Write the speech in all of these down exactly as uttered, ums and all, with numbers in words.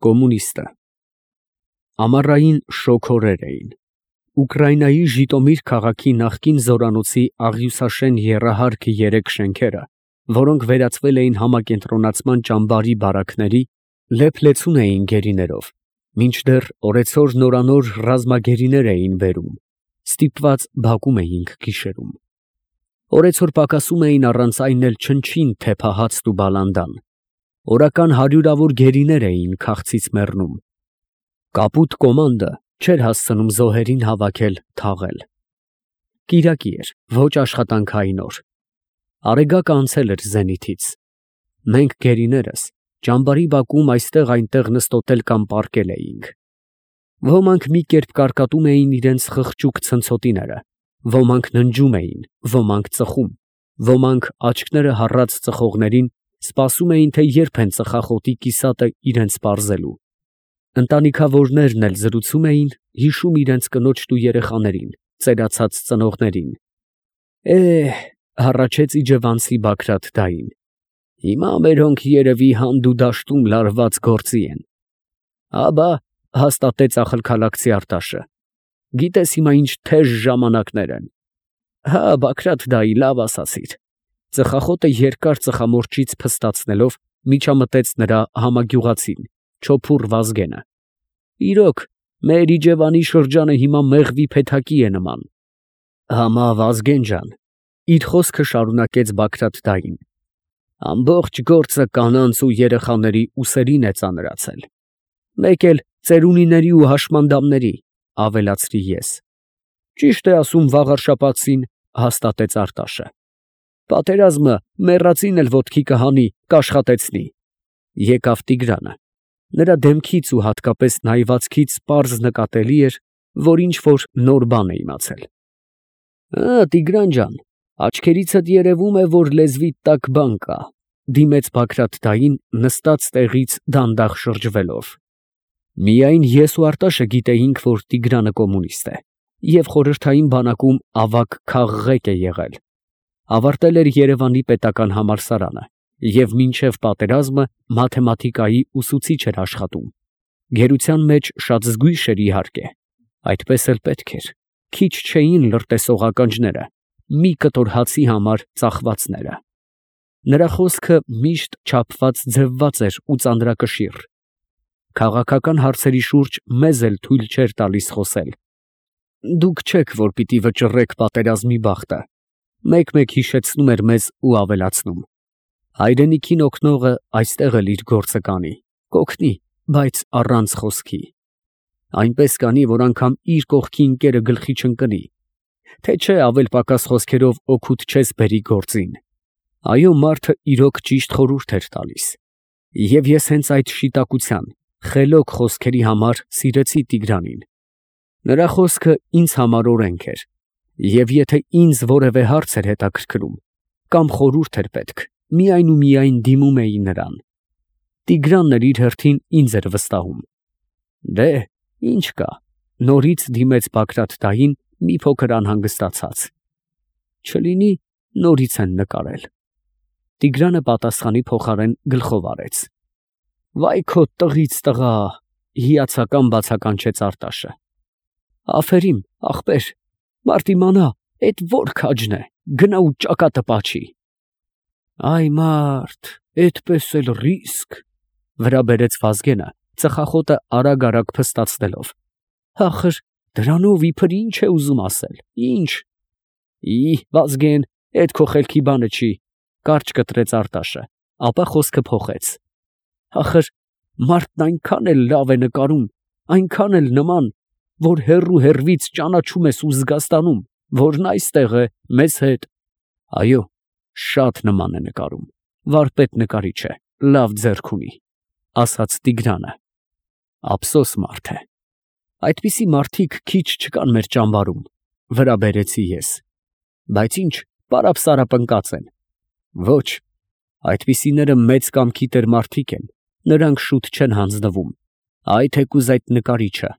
Կոմունիստը։ Ամառային շոգ օրեր էին։ Ուկրաինայի Ժիտոմիր քաղաքի նախկին զորանոցի աղյուսաշեն եռահարկ երեք շենքերը, որոնք վերածվել էին համակենտրոնացման ճամբարի բարակների, լեփ-լեցուն էին գերիներով, մինչդեռ օրեցօր նորանոր ռազմագերիներ էին բերում, ստիպված բակում էինք գիշերում։ Օրեցօր պակասում էին առանց այն էլ չնչին թեփահացն ու բալանդան, օրական հարյուրավոր գերիներ էին քաղցից մեռնում։ Կապուտ կոմանդը չէր հասցնում զոհերին հավաքել, թաղել։ Կիրակի էր, ոչ աշխատանքային օր։ Արեգակը անցել էր զենիթից։ Մենք գերիներս ճամբարի բակում այստեղ-այնտեղ նստոտել կամ պառկել էինք։ Ոմանք մի կերպ կարկատում էին իրենց խղճուկ ցնցոտիները, ոմանք ննջում էին, ոմանք ծխում, ոմանք աչքները հառած ծխողներին սպասում էին, թե երբ են ծխախոտի կիսատը իրենց պարզելու։ Ընտանիքավորներն էլ զրուցում էին, հիշում իրենց կնոջն ու երեխաներին, ծերացած ծնողներին։ Է՜հ, հառաչեց իջևանցի Բագրատ֊դային, հիմա մերոնք երևի հանդ ու դաշտում լարված գործի են։ Աբա, հաստատեց ախալքալաքցի Արտաշը, գիտես հիմա ինչ թեժ ժամանակներ են։ Հա, Բագրատ֊դայի, լավ ասացիր։ Ծխախոտը երկար ծխամորճից փստացնելով միջամտեց նրա համագյուղացին, չոփուռ Վազգենը։ Իրոք, մեր Իջևանի շրջանը հիմա մեղվի փեթակի է նման։ Համա Վազգեն ջան, իր խոսքը շարունակեց Բագրատ֊դային, ամբողջ գործը կանանց ու երեխաների ուսերին է ծանրացել։ Մեկ էլ ծերունիների ու հաշմանդամների, ավելացրի ես։ Ճիշտ է ասում վաղարշաբաթցին, հաստատեց Արտաշը։ Պատերազմը մեռածին էլ ոտքի կհանի, կաշխատեցնի։ Եկավ Տիգրանը։ Նրա դեմքից ու հատկապես նայվածքից պարզ նկատելի էր, որ ինչ֊որ նոր բան է իմացել։ Ա, Տիգրան ջան, աչքերիցդ երևում է, որ լեզվիդ տակ բան կա, դիմեց Բագրատ֊դային նստած տեղից դանդաղ շրջվելով։ Միայն ես ու Արտաշը գիտեինք, որ Տիգրանը կոմունիստ է և խորհրդային բանակում ավագ քաղղեկ է եղել, ավարտել էր Երևանի պետական համալսարանը և մինչև պատերազմը մաթեմատիկայի ուսուցիչ էր աշխատում, գերության մեջ շատ զգույշ էր իհարկե, այդպես էլ պետք էր, քիչ չէին լրտեսող ականջները, մի կտոր հացի համար ծախվածները։ Նրա խոսքը միշտ չափված ձևված էր ու ծանրակշիռ։ Քաղաքական հարցերի շուրջ մեզ էլ թույլ չէր տալիս խոսել։ Դուք չեք, որ պիտի վճռեք պատերազմի բախտը, մեկ֊մեկ հիշեցնում էր մեզ ու ավելացնում. հայրենիքին օգնողը այստեղ էլ իր գործը կանի, կօգնի, բայց առանց խոսքի։ Այնպես կանի, որ անգամ իր կողքի ընկերը գլխի չընկնի, թե չէ ավել֊պակաս խոսքերով օգուտ չես բերի գործին։ Այո, մարդը իրոք ճիշտ խորհուրդ էր տալիս։ Եվ ես հենց այդ շիտակության, խելոք խոսքերի համար սիրեցի Տիգրանին։ Նրա խոսքը ինձ համար օրենք էր, և եթե ինձ որևէ հարց էր հետաքրքրում, կամ խորհուրդ էր պետք, միայն ու միայն դիմում էի նրան։ Տիգրանն էլ իր հերթին ինձ էր վստահում։ Դե, ինչ կա, նորից դիմեց Բագրատ֊դային մի փոքր անհանգստացած։ Չլինի նորից են նկարել։ Տիգրանը պատասխանի փոխարեն գլխով արեց։ Վայ քո տղից տղա, հիացական բացականչեց Արտաշը։ Աֆերիմ, ախպեր, մարդ իմանա, էդ որ քաջն է, գնա ու ճակատը պաչի։ Այ մարդ, էդպես էլ ռիսկ, վրա բերեց Վազգենը, ծխախոտը արագ֊արագ փստացնելով։ Ախր, դրանով իբր ինչ է ուզում ասել, ինչ։ Ի, Վազգեն, էդ քո խելքի բանը չի, կարճ կտրեց Արտաշը, ապա խոսքը փոխեց։ Ախր, մարդն այնքան էլ լավ է նկարում, այնքան էլ նման, որ հեռու հեռվից ճանաչում ես ու զգաստանում, որն այստեղ է, մեզ հետ։ Այո, շատ նման է նկարում, վարպետ նկարիչ է, լավ ձեռք ունի, ասաց Տիգրանը։ Ափսոս մարդ է։ Այդպիսի մարդիկ քիչ չկան մեր ճամբարում, վրա բերեցի ես։ Բայց ինչ, պարապ-սարապ ընկած են։ Ոչ, այդպիսիները մեծ կամքի տեր մարդիկ են, նրանք շուտ չեն հանձնվում, այ թեկուզ այդ նկարիչը։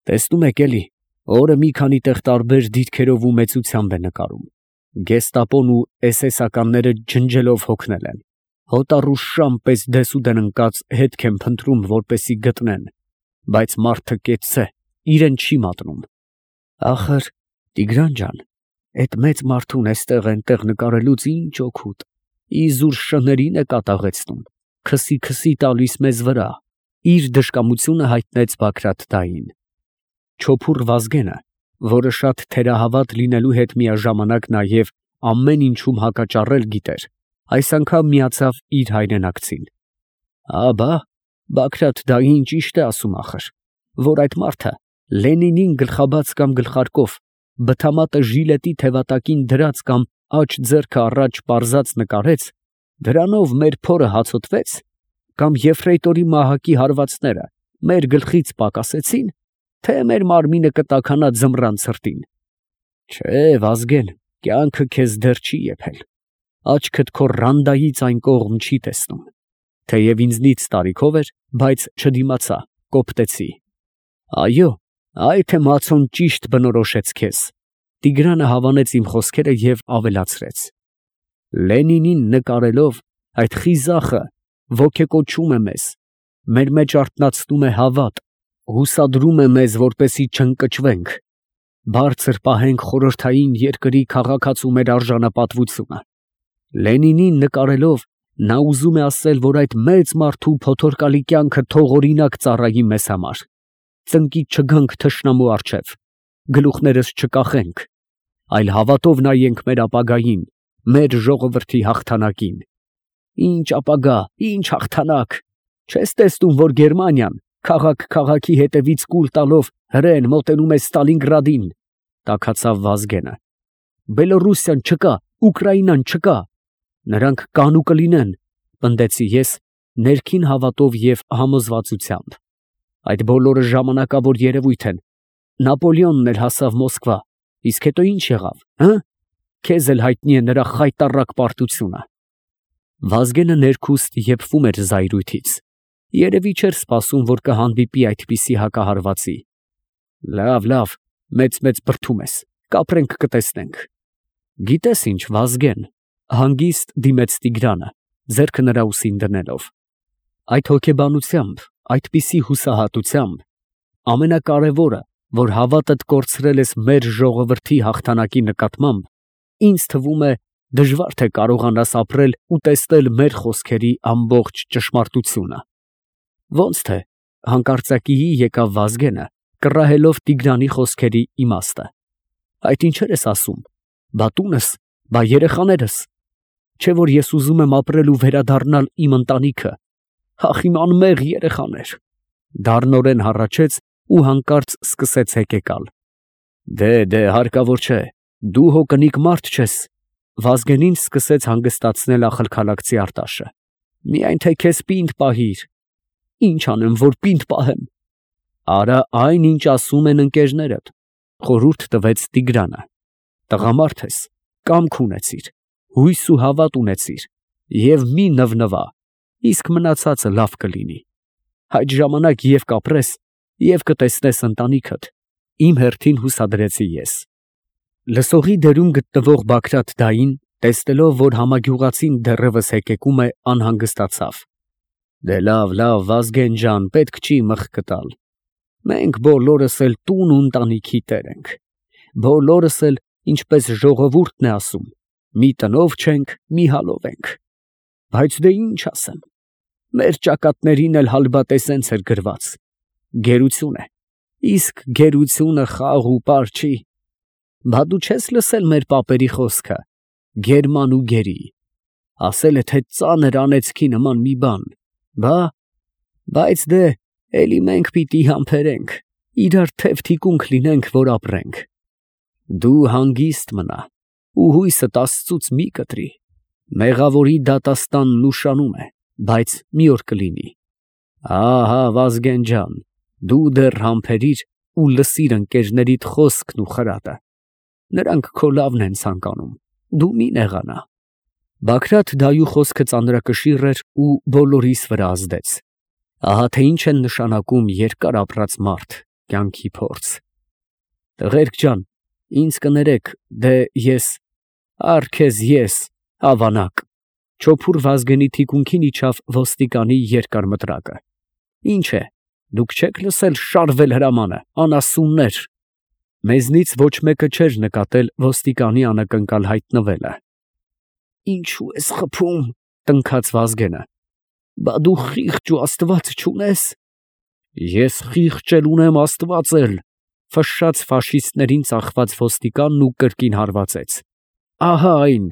Տեսնում եք էլի, օրը մի քանի տեղ տարբեր դիրքերով ու մեծությամբ է նկարում։ Գեստապոն ու էս էս ականները ջնջելով հոգնել են, Հոտառու շան պես դեսուդեն ընկած հետք են փնտրում, որպեսի գտնեն, բայց մարդը կեցցե, իրեն չի մատնում։ Ախր, Տիգրան ջան, այդ մեծ մարդուն էստեղ այնտեղ նկարելուց ինչ օգուտ, իզուր շներին է կատաղեցնում, քսի քսի տալիս մեզ վրա, իր դժկամությունը հայտնեց Բագրատ֊դային։ Չոփուռ Վազգենը, որը շատ թերահավատ լինելու հետ միաժամանակ նաև ամեն ինչում հակաճառել գիտեր, այս անգամ միացավ իր հայրենակցին։ Աբա, Բագրատ֊դային ճիշտ է ասում ախր, որ այդ մարդը Լենինին գլխաբաց կամ գլխարկով, բթամատը ժիլետի թևատակին դրած կամ աջ ձեռքը առաջ պարզած նկարեց, դրանով մեր փորը հացոտվեց, կամ եֆրեյտորի մահակի հարվածները մեր գլխից պակասեցին, թե մեր մարմինը կտաքանա ձմռան ցրտին։ Չէ, Վազգեն, կյանքը քեզ դեռ չի եփել, աչքդ քո ռանդայից այն կողմ չի տեսնում, թեև ինձնից տարիքով էր, բայց չդիմացա, կոպտեցի։ Այո, այ թե Մացոն ճիշտ բնորոշեց քեզ։ Տիգրանը հավանեց իմ խոսքերը և ավելացրեց. Լենինին նկարելով, այդ խիզախը ոգեկոչում է մեզ, մեր մեջ արթնացնում է հավատ, հուսադրում է մեզ, որպեսզի չընկճվենք, բարձր պահենք խորհրդային երկրի քաղաքացու մեր արժանապատվությունը։ Լենինին նկարելով, նա ուզում է ասել, որ այդ մեծ մարդու փոթորկալի կյանքը թող օրինակ ծառայի մեզ համար, ծնկից չգանք թշնամու առջև, գլուխներս չկախենք, այլ հավատով նայենք մեր ապագային, մեր ժողովրդի հաղթանակին։ Ինչ ապագա, ինչ հաղթանակ, չես տեսնում, որ Գերմանիան քաղաք քաղաքի հետևից կուլ տալով հրեն մոտենում է Ստալինգրադին, տաքացավ Վազգենը։ Բելոռուսիան չկա, Ուկրաինան չկա, նրանք կան ու կլինեն, պնդեցի ես ներքին հավատով և համոզվածությամբ։ Այդ բոլորը ժամանակավոր երևույթ են, Նապոլեոնն էլ հասավ Մոսկվա, իսկ հետո ինչ եղավ, հը՞, քեզ էլ հայտնի է նրա խայտառակ պարտությունը։ Վազգենը ներքուստ եփվում էր զայրույթից, երևի չէր սպասում, որ կհանդիպի այդպիսի հակահարվածի։ Լավ, լավ, մեծ-մեծ բրդում ես, կապրենք կտեսնենք։ Գիտես ինչ, Վազգեն, հանգիստ դիմեց Տիգրանը, ձեռքը նրա ուսին դնելով։ Այդ հոգեբանությամբ, այդպիսի հուսահատությամբ, ամենակարևորը, որ հավատդ կորցրել ես մեր ժողովրդի հաղթանակի նկատմամբ, ինձ թվում է դժվար թե կարողանաս ապրել ու տեսնել մեր խոսքերի ամբողջ ճշմարտությունը։ Ոնց թե, հանկարծակիի եկավ Վազգենը, կռահելով Տիգրանի խոսքերի իմաստը։ Այդ ինչեր ես ասում, բա տունս, բա երեխաներս, չէ որ ես ուզում եմ ապրել ու վերադառնալ իմ ընտանիքը, ախ իմ անմեղ երեխաներ։ Դառնորեն հառաչեց ու հանկարծ սկսեց հեկեկալ։ Դե, դե, հարկավոր չէ, դու հո կնիկ մարդ չես։ Վազգենին սկսեց հանգստացնել ախալքալաքցի Արտաշը։ Միայն թե քեզ պինդ պահիր։ Ինչ անեմ, որ պինդ պահեմ։ Արա այն, ինչ ասում են ընկերներդ, խորհուրդ տվեց Տիգրանը։ Տղամարդ ես, կամք ունեցիր, հույս ու հավատ ունեցիր, և մի նվնվա, իսկ մնացածը լավ կլինի։ Այդ ժամանակ և կապրես, և կտեսնես ընտանիքդ, իմ հերթին հուսադրեցի ես։ Լսողի դերում գտնվող Բագրատ֊դային, տեսնելով, որ համագյուղացին դեռևս հեկեկում է, անհանգստացավ։ Դե լավ, լավ, Վազգեն ջան, պետք չի մխկը տալ։ Մենք բոլորս էլ տուն ու ընտանիքի տեր ենք։ Բոլորս էլ, ինչպես ժողովուրդն է ասում, մի տնով չենք, մի հալով ենք։ Բայց դե ինչ ասեմ, մեր ճակատներին էլ հալբատես հենց էր գրված. գերություն է, իսկ գերությունը խաղ ու պար չի։ Բա դու չես լսել մեր պապերի խոսքը, գերման ու գերի, ասել է, թե ծանր անեծքի նման մի բան, բա, բայց դե, էլի մենք պիտի համբերենք, իրար թև թիկունք լինենք, որ ապրենք։ Դու հանգիստ մնա ու հույսդ Աստծուց մի կտրի, մեղավորի դատաստանն ուշանում է, բայց մի օր կլինի։ Ահա, Վազգեն ջան, դու դեռ համբերիր ու լսիր ընկերներիդ խոսքն ու խրատը, նրանք քո լավն են ցանկանում, դու մի նեղանա։ Բագրատ֊դայու խոսքը ծանրակշիռ էր ու բոլորիս վրա ազդեց։ Ահա թե ինչ են նշանակում երկար ապրած մարդ, կյանքի փորձ։ Տղերք ջան, ինձ կներեք, դե ես, առ քեզ ես, ավանակ, Չոփուր Վազգենի թիկունքին իջավ ոստիկանի երկար մտրակը։ Ինչ է, դուք չեք լսել շարվել հրամանը, անասուններ։ Մեզնից ոչ մեկը չէր նկատել ոստիկանի անակնկալ հայտնվելը։ Ինչու ես խփում, տնքաց Վազգենը։ Բա դու խիղճ ու աստված չունես։ Ես խիղճ էլ ունեմ, աստված էլ, ֆշշաց ֆաշիստներին ծախված ոստիկանն ու կրկին հարվածեց։ Ահա այն,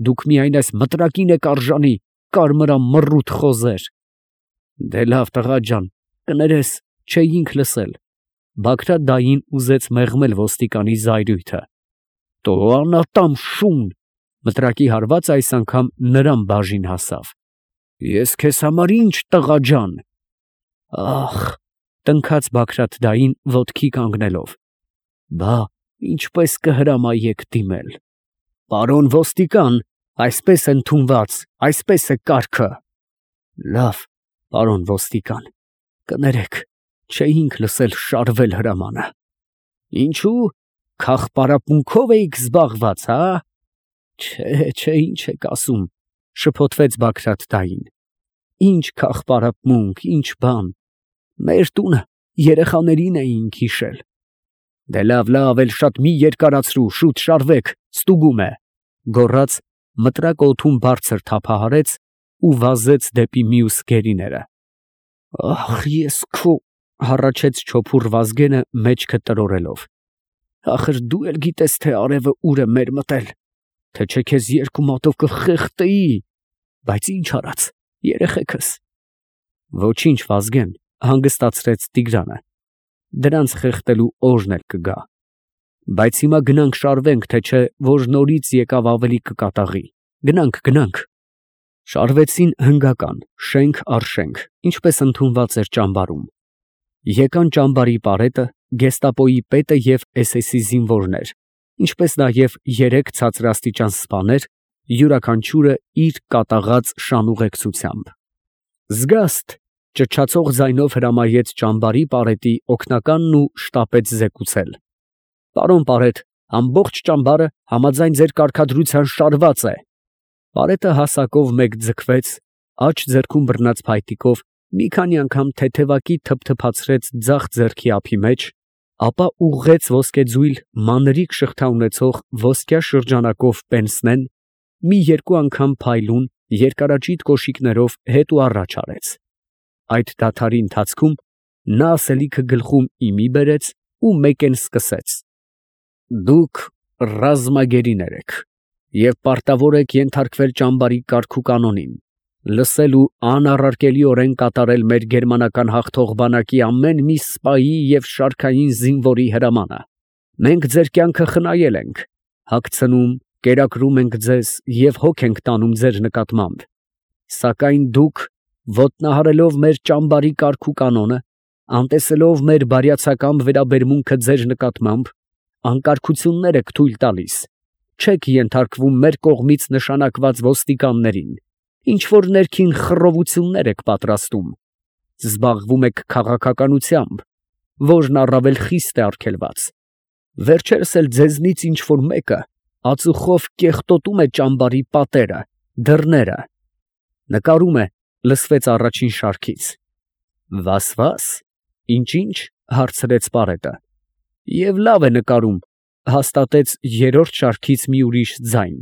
դուք միայն այս մտրակին եք արժանի, կարմրամ մռութ խոզեր։ Դե լավ տղա ջան, կներես, չէինք լսել։ Բագրատ դային ուզեց մեղմել ոստիկանի զայրույթը։ Տո անատամ շուն, մտրակի հարվածը այս անգամ նրան բաժին հասավ։ Ես քեզ համար ինչ տղա ջան։ Ախ, տնքաց Բագրատ դային ոտքի կանգնելով։ Բա ինչպես կհրամայեք դիմել։ Պարոն ոստիկան, այսպես է ընդունված, այսպես է կարգը։ Լավ, պարոն ոստիկան, կներեք, չէինք լսել շարվել հրամանը։ Ինչու, քաղպարապունքով էիք զբաղված, հա։ Չէ, չէ, ինչ եք ասում, շփոթվեց Բագրատ դային։ Ինչ քաղպարապմունք, ինչ բան։ Մեր տունը երեխաներին էինք հիշել։ Դե լավ, լավ, էլ շատ մի երկարացրու, շուտ շարվեք, ստուգում է, գոռաց, մտրակը օդում բարձր թափահարեց ու վազեց դեպի մյուս գերիները։ Ախ, ես քո, հառաչեց չոփուր Վազգենը մեջքը տրորելով։ Ախր դու էլ գիտես, թե արևը ուր է մեր մտել, թե չէ քեզ երկու մատով կխեղդեի, բայց ինչ արած, երեխեքս։ Ոչինչ, Վազգեն, հանգստացրեց Տիգրանը։ Դրանց խեղդելու օրն էլ կգա։ Բայց հիմա գնանք շարվենք, թե չէ, որ նորից եկավ ավելի կկատաղի։ Գնանք, գնանք։ Շարվեցին հնգական, շենք առ շենք, ինչպես ընդունված էր ճամբարում։ Եկան ճամբարի պարետը, գեստապոյի պետը և էս էսի զինվորներ, ինչպես նաև երեք ցածրաստիճան սպաներ, յուրաքանչյուրը իր կատաղած շանուղեկցությամբ։ Զգաստ, ճչացող ձայնով հրամայեց ճամբարի պարետի օգնականն ու շտապեց զեկուցել. Պարոն պարետ, ամբողջ ճամբարը համաձայն ձեր կարգադրության շարված է։ Պարետը հասակով մեկ ձգվեց, աջ ձեռքում բռնած փայտիկով մի քանի անգամ թեթևակի թփթփացրեց ձախ ձեռքի ափի մեջ, ապա ուղղեց ոսկեձույլ մանրիկ շղթա ունեցող ոսկյա շրջանակով պենսնեն, մի երկու անգամ փայլուն երկարաճիտ կոշիկներով հետ ու առաջ արեց։ Այդ դադարի ընթացքում նա ասելիքը գլխում իմի բերեց ու մեկեն սկսեց. Դուք ռազմագերիներ եք և պարտավոր եք ենթարկվել ճամբարի կարգ ու կանոնին, լսել ու անառարկելիորեն կատարել մեր գերմանական հաղթող բանակի ամեն մի սպայի և շարքային զինվորի հրամանը։ Մենք ձեր կյանքը խնայել ենք, հագցնում, կերակրում ենք ձեզ և հոգ ենք տանում ձեր նկատմամբ, սակայն դուք, ոտնահարելով մեր ճամբարի կարգ ու կանոնը, անտեսելով մեր բարյացակամ վերաբերմունքը ձեր նկատմամբ, անկարգություններ եք թույլ տալիս, չեք ենթարկվում մեր կողմից նշանակված ոստիկաններին, ինչ որ ներքին խռովություններ եք պատրաստում, զբաղվում եք քաղաքականությամբ, որն առավել խիստ է արգելված, վերջերս էլ ձեզնից ինչ որ մեկը ածուխով կեղտոտում է ճամբարի պատերը, դռները։ Նկարում է, լսվեց առաջին շարքից։ Վաս-վաս, ինչ-ինչ, հարցրեց պարետը։ Եվ լավ է նկարում, հաստատեց երրորդ շարքից մի ուրիշ ձայն։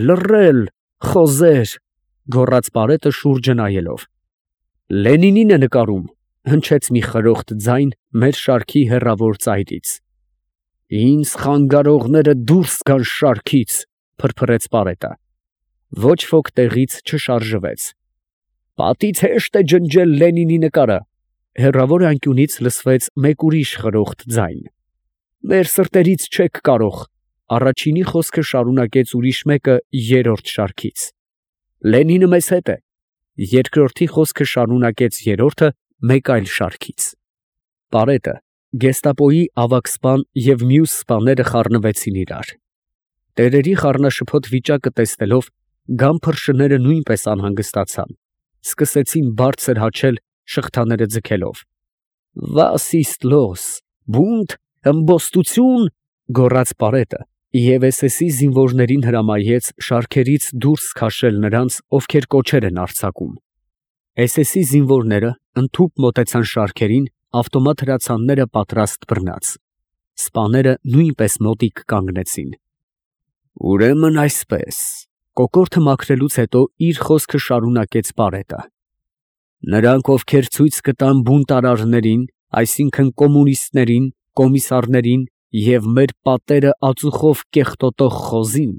Լռել, խոզեր, գոռաց պարետը շուրջը նայելով։ Լենինին է նկարում, հնչեց մի խրոխտ ձայն մեր շարքի հեռավոր ծայրից։ Ինձ խանգարողները դուրս գան շարքից, փրփրեց պարետը։ Ոչ ոք տեղից չշարժվեց։ Պատից հեշտ է ջնջել Լենինի նկարը, հեռավոր անկյունից լսվեց մեկ ուրիշ խրոխտ ձայն։ Մեր սրտերից չեք կարող, առաջինի խոսքը շարունակեց ուրիշ մեկը երրորդ շարքից։ Լենինը մեզ հետ է, երկրորդի խոսքը շարունակեց երրորդը մեկ այլ շարքից։ Պարետը, գեստապոյի ավագ սպան և մյուս սպաները խառնվեցին իրար։ Տերերի խառնաշփոթ վիճակը տեսնելով, գան փռշները նույնպես անհանգստացան, սկսեցին բարձր հաչել շղթաները ձգելով։ Վաս իստ լոս, բունտ, ըմբոստություն, գոռաց պարետը, Եվ էս էսի զինվորներին հրամայեց շարքերից դուրս քաշել նրանց, ովքեր կոչեր են արձակում։ էս էսի զինվորները ընդհուպ մոտեցան շարքերին, ավտոմատ հրացանները պատրաստ բռնած։ Սպաները նույնպես մոտիկ կանգնեցին։ Ուրեմն այսպես, կոկորդը մաքրելուց հետո իր խոսքը շարունակեց Պարետը. նրանք, ովքեր ցույց կտան բունտարարներին, այսինքն կոմունիստներին, կոմիսարներին և մեր պատերը ածուխով կեղտոտող խոզին,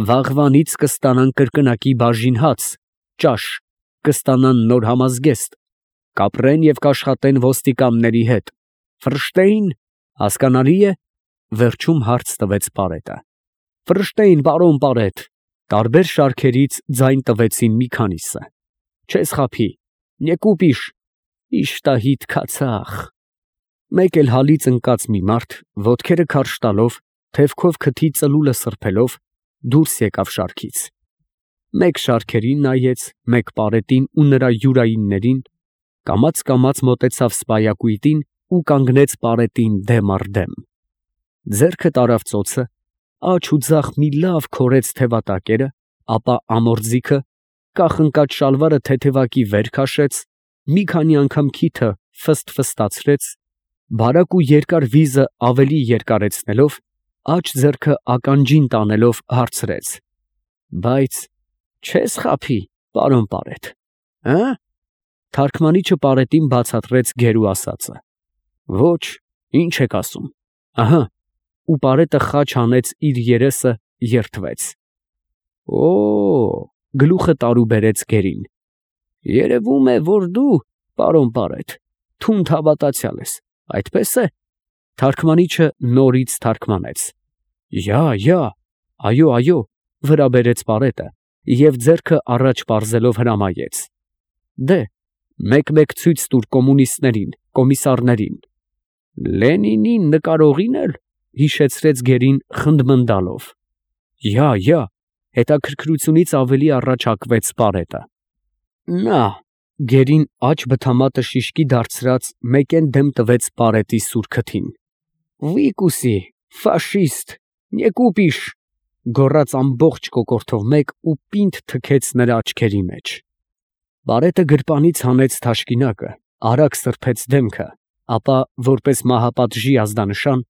վաղվանից կստանան կրկնակի բաժին հաց, ճաշ, կստանան նոր համազգեստ, կապրեն և կաշխատեն ոստիկանների հետ, Ֆրշտեյն, հասկանալի է, վերջում հարց տվեց Պարետը։ Ֆրշտեյն, պարոն Պարետ, տարբեր շարքերից ձայն տվեցին մի քանիսը։ Չես խաբի, նեկուպիշ, իշտահիտ քացախ։ Մեկ էլ հալից ընկած մի մարդ, ոտքերը քարշ տալով, թևքով քթի ծլուլը սրբելով, դուրս եկավ շարքից։ Մեկ շարքերին նայեց, մեկ Պարետին ու նրա յուրայիններին, կամաց-կամաց մոտեցավ սպայակույտին ու կանգնեց Պարետին դեմ առ դեմ։ Ձեռքը տարավ ծոցը, աջ ու ձախ մի լավ քորեց թևատակերը, ապա ամորձիքը, կախնկած շալվարը թեթևակի վեր քաշեց, մի քանի անգամ քիթը ֆստ֊ֆստացրեց, բարակ ու երկար վիզը ավելի երկարեցնելով, աջ ձեռքը ականջին տանելով հարցրեց. Բայց չես խաբի, պարոն Պարետ, հը՞։ Թարգմանիչը Պարետին բացատրեց գերու ասածը։ Ոչ, ինչ եք ասում, ահա, ու Պարետը խաչ հանեց իր երեսը, երդվեց։ Օ, գլուխը տարուբերեց գերին։ Երևում է, որ դու, պարոն Պարետ, թունդ հավատացյալ ես, այդպես է։ Թարգմանիչը նորից թարգմանեց։ Յա, յա, այո, այո, վրա բերեց Պարետը և ձեռքը առաջ պարզելով հրամայեց։ Դե, մեկ-մեկ ցույց տուր կոմունիստներին, կոմիսարներին։ Լենինին նկարողին էլ, հիշեցրեց գերին խնդմնդալով։ Յա, յա, հետաքրքրությունից ավելի առաջարկվեց Պարետը։ Նա, գերին աջ բթամատը շիշկի դարձրած մեկեն դեմ տվեց Պարետի սուր քթին։ Վիկուսի, ֆաշիստ, նեկուպիշ, գոռաց ամբողջ կոկորդով մեկ ու պինդ թքեց նրա աչքերի մեջ։ Պարետը գրպանից հանեց թաշկինակը, արագ սրբեց դեմքը, ապա, որպես մահապատժի ազդանշան,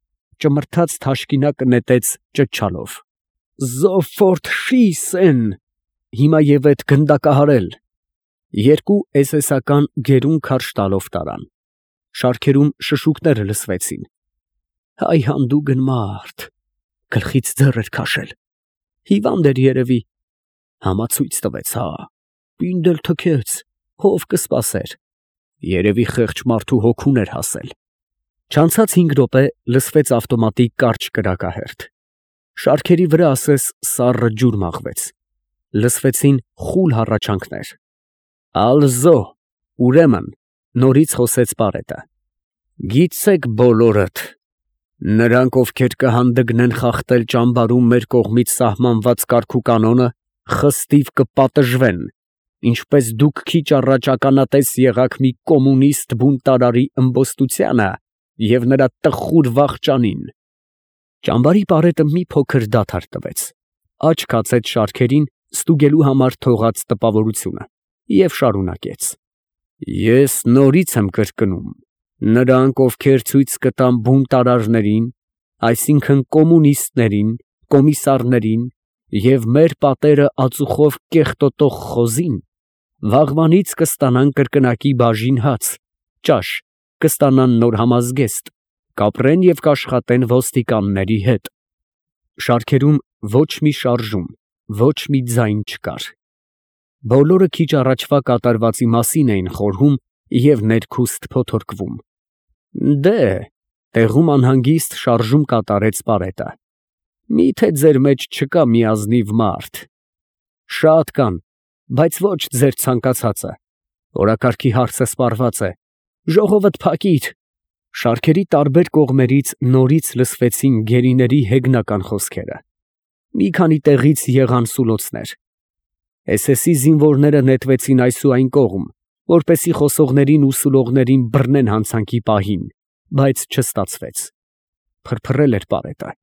ճմրթաց թաշկինակը նետեց ճչալով. Զոֆորտ շիսեն, հիմա և էդ գնդակահարել։ Երկու էսեսական գերուն քարշ տալով տարան։ Շարքերում շշուկները լսվեցին։ Հայ հանդուգն մարդ, գլխից ձեռ էր քաշել, հիվանդ էր երևի, համացույց տվեց, հա, պինդ էլ թքեց, հով կսպասեր, երևի խեղճ մարդու հոգուն էր հասել։ Չանցած հինգ րոպե լսվեց ավտոմատի կարճ կրակահերթ։ Շարքերի վրա ասես սառը ջուր մաղվեց։ Լսվեցին խուլ հառաչանքներ։ Ալզո, ուրեմն, նորից խոսեց Պարետը։ Գիտեք բոլորդ, նրանք, ովքեր կհանդգնեն խախտել ճամբարում մեր կողմից սահմանված կարգ ու կանոնը, խստիվ կպատժվեն, ինչպես դուք քիչ առաջ ականատես եղաք մի կոմունիստ բունտարարի ըմբոստությանը և նրա տխուր վախճանին։ Ճամբարի Պարետը մի փոքր դադար տվեց, աջ քացեց շարքերին ստուգելու համար թողած տպավորությունը և շարունակեց. Ես նորից եմ կրկնում, նրանք, ովքեր ցույց կտան բունտարարներին, այսինքն կոմունիստներին, կոմիսարներին և մեր պատերը ածուխով կեղտոտող խոզին, վաղվանից կստանան կրկնակի բաժին հաց, ճաշ, կստանան նոր համազգեստ, կապրեն և կաշխատեն ոստիկանների հետ։ Շարքերում ոչ մի շարժում, ոչ մի ձայն չկար։ Բոլորը քիչ առաջվա կատարվածի մասին էին խորհում և ներքուստ փոթորկվում։ Դե, տեղում անհանգիստ շարժում կատարեց Պարետը։ Մի՞թե ձեր մեջ չկա մի ազնիվ մարդ։ Շատ կան, բայց ոչ ձեր ցանկացածը։ Օրակարգի հարցը սպառված է։ Ժողովդ փակիր։ Շարքերի տարբեր կողմերից նորից լսվեցին գերիների հեգնական խոսքերը։ Մի քանի տեղից եղան սուլոցներ։ էս էսի զինվորները նետվեցին այս ու այն կողմ, որպեսզի խոսողներին ու սուլողներին բռնեն հանցանքի պահին, բայց չստացվեց։ Փրփրել էր Պարետը։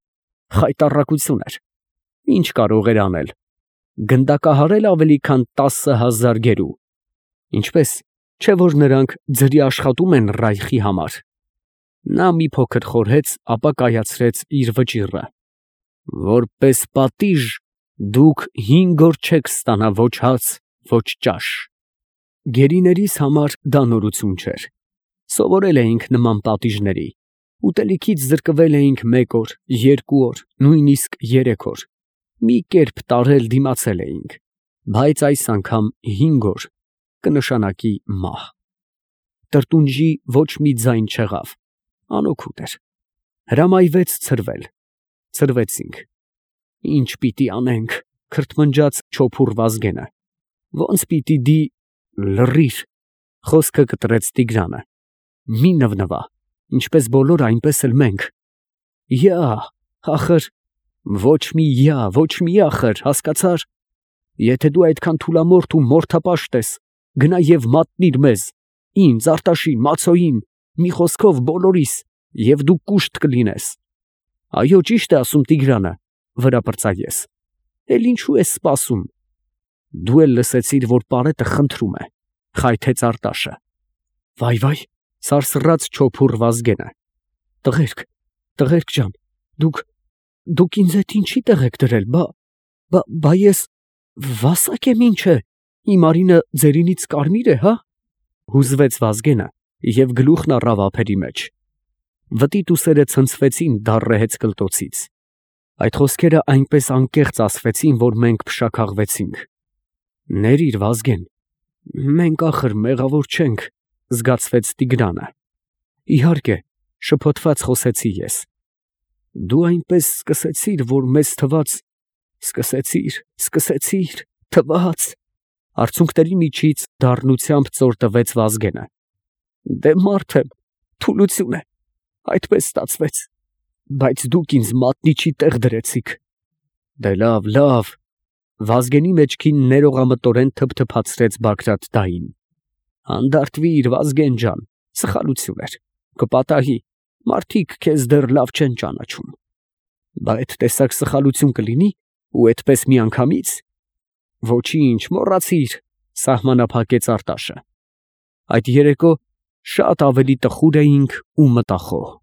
խայտառակություն էր։ Ինչ կարող էր անել։ Գնդակահարել ավելի քան տասը հազար գերու։ Ինչպես, չէ՞ որ նրանք ձրի աշխատում են Ռայխի համար։ Նա մի փոքր խորհեց, ապա կայացրեց իր վճիռը։ Որպես պատիժ դուք հինգ օր չեք ստանա ոչ հաց, ոչ ճաշ։ Գերիներիս համար դա նորություն չէր։ Սովորել էինք նման պատիժների։ Ուտելիքից զրկվել էինք մեկ օր, երկու օր, նույնիսկ երեք օր։ Մի կերպ տարել դիմացել էինք, բայց այս անգամ հինգ օր կնշանակի մահ։ Տրտունջի ոչ մի ձայն չեղավ, անօգուտ էր։ Հրամայվեց ցրվել։ Ցրվեցինք։ Ինչ պիտի անենք, քրթմնջաց չոփուռ Վազգենը։ Ոնց պիտի դի… Լռիր, խոսքը կտրեց Տիգրանը։ Մի նվնվա, ինչպես բոլորը, այնպես էլ մենք։ Յա, ախր… Ոչ մի յա, ոչ մի ախր, հասկացա՞ր։ Եթե դու այդքան թուլամորթ ու մորթապաշտ ես, գնա և մատնիր մեզ, ինձ, Արտաշին, Մացոյին, մի խոսքով բոլորիս, և դու կուշտ կլինես։ Այո, ճիշտ է ասում Տիգրանը, վրա պրծա ես։ Էլ ինչու ես սպասում։ Դու էլ լսեցիր, որ պարետը խնդրում է, խայթեց Արտաշը։ Վայ, վայ, սարսռաց չոփուռ Վազգենը։ Տղերք, տղերք ջան, դուք… Դուք ինձ հետ ինչի տեղ եք դրել, բա… Բա ես… Վասակ եմ ինչ է, իմ արինը ձերինից կարմիր է, հա… Հուզվեց Վազգենը և գլուխն առավ ափերի մեջ։ Վտիտ ուսերը ցնցվեցին դառը հեծկլտոցից։ Այդ խոսքերը այնպես անկեղծ ասվեցին, որ մենք փշաքաղվեցինք։ Ներիր, Վազգեն, մենք ախր մեղավոր չենք, զգացվեց Տիգրանը։ Իհարկե, շփոթված խոսեցի ես։ Դու այնպես սկսեցիր, որ մեզ թվաց… Սկսեցիր, սկսեցիր, թվաց… Արցունքների միջից դառնությամբ ծոր տվեց Վազգենը։ Դե մարդ եմ, թուլություն է, այդպես ստացվեց, բայց դուք ինձ մատնիչի տեղ դրեցիք։ Դե լավ, լավ… Վազգենի մեջքին ներողամտորեն թփթփացրեց Բագրատ֊դային։ Հանդարտվիր, Վազգեն ջան, սխալություն էր, կպատահի, մարդիկ քեզ դեռ լավ չեն ճանաչում։ Բա այդ տեսակ սխալություն կլինի, ու էդպես միանգամից… Ոչինչ, մոռացիր, սահմանափակեց Արտաշը։ Այդ երեկո շատ ավելի տխուր էինք ու մտախոհ։